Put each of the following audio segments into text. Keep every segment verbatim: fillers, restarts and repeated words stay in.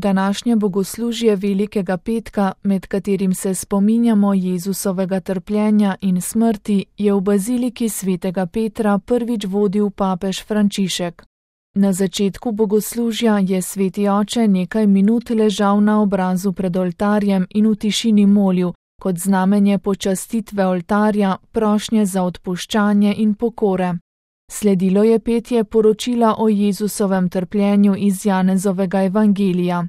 Današnje bogoslužje Velikega petka, med katerim se spominjamo Jezusovega trpljenja in smrti, je v baziliki svetega Petra prvič vodil papež Frančišek. Na začetku bogoslužja je sveti oče nekaj minut ležal na obrazu pred oltarjem in v tišini molil, kot znamenje počastitve oltarja, prošnje za odpuščanje in pokore. Sledilo je petje poročila o Jezusovem trpljenju iz Janezovega evangelija.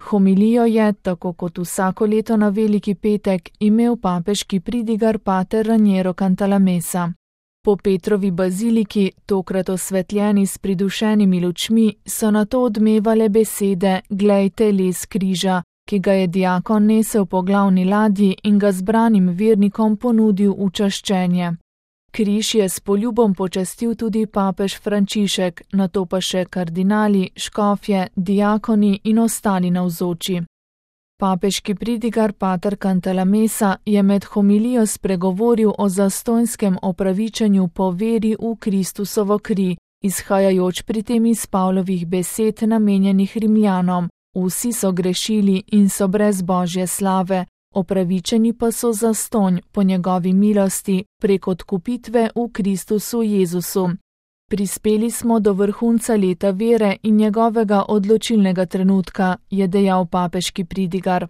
Homilijo je, tako kot vsako leto na Veliki petek, imel papeški pridigar pater Raniero Cantalamessa. Po Petrovi baziliki, tokrat osvetljeni s pridušenimi lučmi, so nato odmevale besede "Glejte les križa", ki ga je diakon nesel po glavni ladji in ga zbranim vernikom ponudil v čaščenje. Križ je s poljubom počastil tudi papež Frančišek, nato pa še kardinali, škofje, diakoni in ostali navzoči. Papeški pridigar pater Cantalamessa je med homilijo spregovoril o zastonjskem opravičenju po veri v Kristusovo kri, izhajajoč pri tem iz Pavlovih besed namenjenih Rimljanom: "Vsi so grešili in so brez Božje slave, opravičeni pa so zastonj po njegovi milosti prek odkupitve v Kristusu Jezusu." Prispeli smo do vrhunca leta vere in njegovega odločilnega trenutka, je dejal papeški pridigar.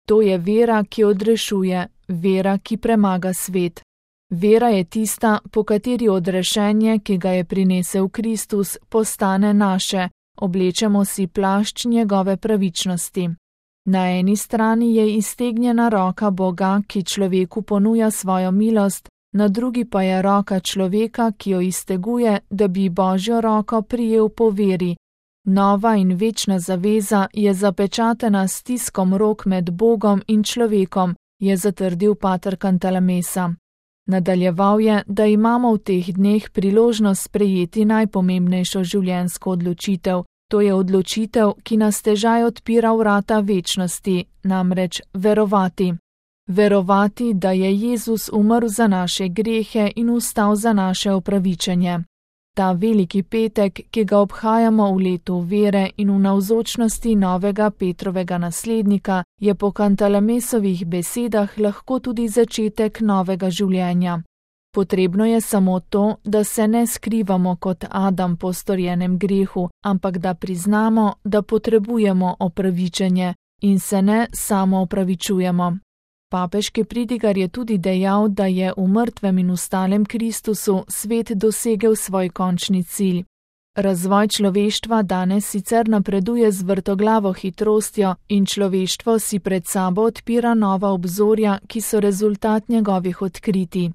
To je vera, ki odrešuje, vera, ki premaga svet. Vera je tista, po kateri odrešenje, ki ga je prinesel Kristus, postane naše, oblečemo si plašč njegove pravičnosti. Na eni strani je iztegnjena roka Boga, ki človeku ponuja svojo milost, na drugi pa je roka človeka, ki jo izteguje, da bi Božjo roko prijel po veri. Nova in večna zaveza je zapečatena s stiskom rok med Bogom in človekom, je zatrdil pater Cantalamessa. Nadaljeval je, da imamo v teh dneh priložnost sprejeti najpomembnejšo življenjsko odločitev. To je odločitev, ki nas težaj odpira vrata večnosti, namreč verovati. Verovati, da je Jezus umrl za naše grehe in vstal za naše opravičenje. Ta Veliki petek, ki ga obhajamo v letu vere in v navzočnosti novega Petrovega naslednika, je po Cantalamessovih besedah lahko tudi začetek novega življenja. Potrebno je samo to, da se ne skrivamo kot Adam po storjenem grehu, ampak da priznamo, da potrebujemo opravičenje in se ne samo opravičujemo. Papeški pridigar je tudi dejal, da je v mrtvem in vstalem Kristusu svet dosegel svoj končni cilj. Razvoj človeštva danes sicer napreduje z vrtoglavo hitrostjo in človeštvo si pred sabo odpira nova obzorja, ki so rezultat njegovih odkritij.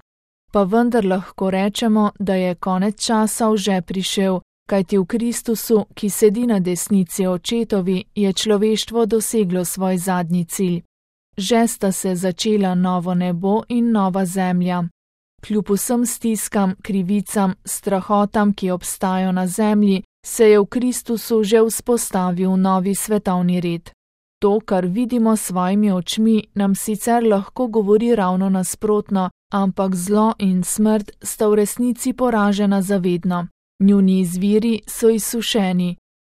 Pa vendar lahko rečemo, da je konec časov že prišel, kajti v Kristusu, ki sedi na desnici očetovi, je človeštvo doseglo svoj zadnji cilj. Že sta se začela novo nebo in nova zemlja. Kljub vsem stiskam, krivicam, strahotam, ki obstajajo na zemlji, se je v Kristusu že vzpostavil novi svetovni red. To, kar vidimo s svojimi očmi, nam sicer lahko govori ravno nasprotno, ampak zlo in smrt sta v resnici poražena zavedno. Njuni izviri so izsušeni.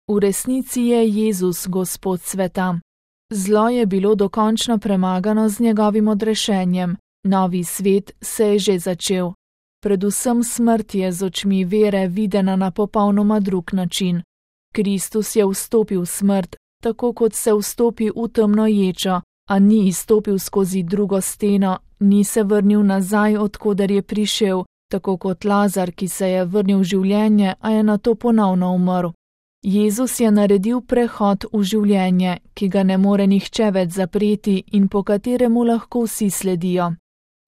V resnici je Jezus Gospod sveta. Zlo je bilo dokončno premagano z njegovim odrešenjem. Novi svet se je že začel. Predvsem smrt je z očmi vere videna na popolnoma drug način. Kristus je vstopil v smrt, tako kot se vstopi v temno ječo, a ni izstopil skozi drugo steno, ni se vrnil nazaj, odkoder je prišel, tako kot Lazar, ki se je vrnil v življenje, a je nato ponovno umrl. Jezus je naredil prehod v življenje, ki ga ne more nihče več zapreti in po kateremu lahko vsi sledijo.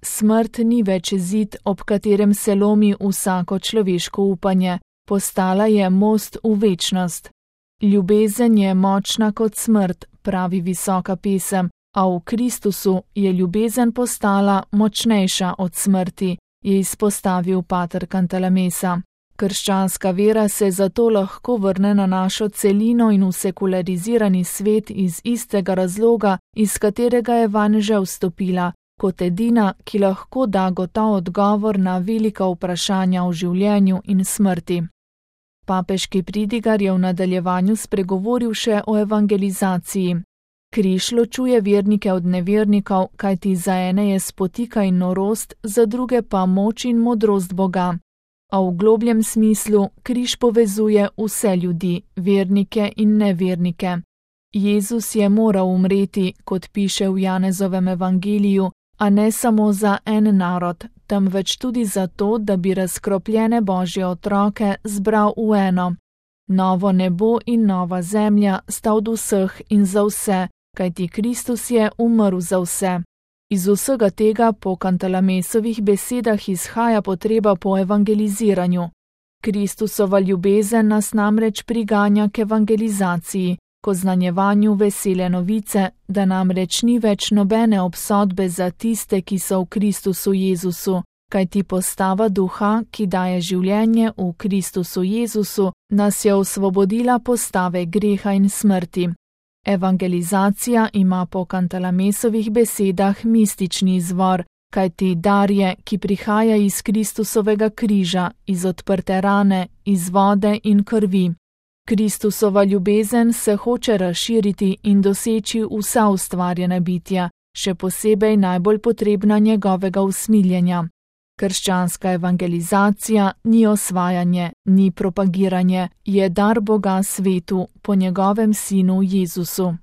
Smrt ni več zid, ob katerem se lomi vsako človeško upanje, postala je most v večnost. Ljubezen je močna kot smrt, pravi visoka pesem, a v Kristusu je ljubezen postala močnejša od smrti, je izpostavil pater Cantalamessa. Krščanska vera se zato lahko vrne na našo celino in v sekularizirani svet iz istega razloga, iz katerega je vanj že vstopila, kot edina, ki lahko da gotov odgovor na velika vprašanja o življenju in smrti. Papeški pridigar je v nadaljevanju spregovoril še o evangelizaciji. Križ ločuje vernike od nevernikov, kajti za ene je spotika in norost, za druge pa moč in modrost Boga. A v globljem smislu križ povezuje vse ljudi, vernike in nevernike. Jezus je moral umreti, kot piše v Janezovem evangeliju, a ne samo za en narod, temveč tudi zato, da bi razkropljene Božje otroke zbral v eno. Novo nebo in nova zemlja sta od vseh in za vse, kajti Kristus je umrl za vse. Iz vsega tega po Kantalamesovih besedah izhaja potreba po evangeliziranju. Kristusova ljubezen nas namreč priganja k evangelizaciji, k oznanjevanju vesele novice, da namreč ni več nobene obsodbe za tiste, ki so v Kristusu Jezusu, kajti postava duha, ki daje življenje v Kristusu Jezusu, nas je osvobodila postave greha in smrti. Evangelizacija ima po Kantalamesovih besedah mistični izvor, kajti dar je, ki prihaja iz Kristusovega križa, iz odprte rane, iz vode in krvi. Kristusova ljubezen se hoče razširiti in doseči vsa ustvarjena bitja, še posebej najbolj potrebna njegovega usmiljenja. Krščanska evangelizacija ni osvajanje, ni propagiranje, je dar Boga svetu po njegovem sinu Jezusu.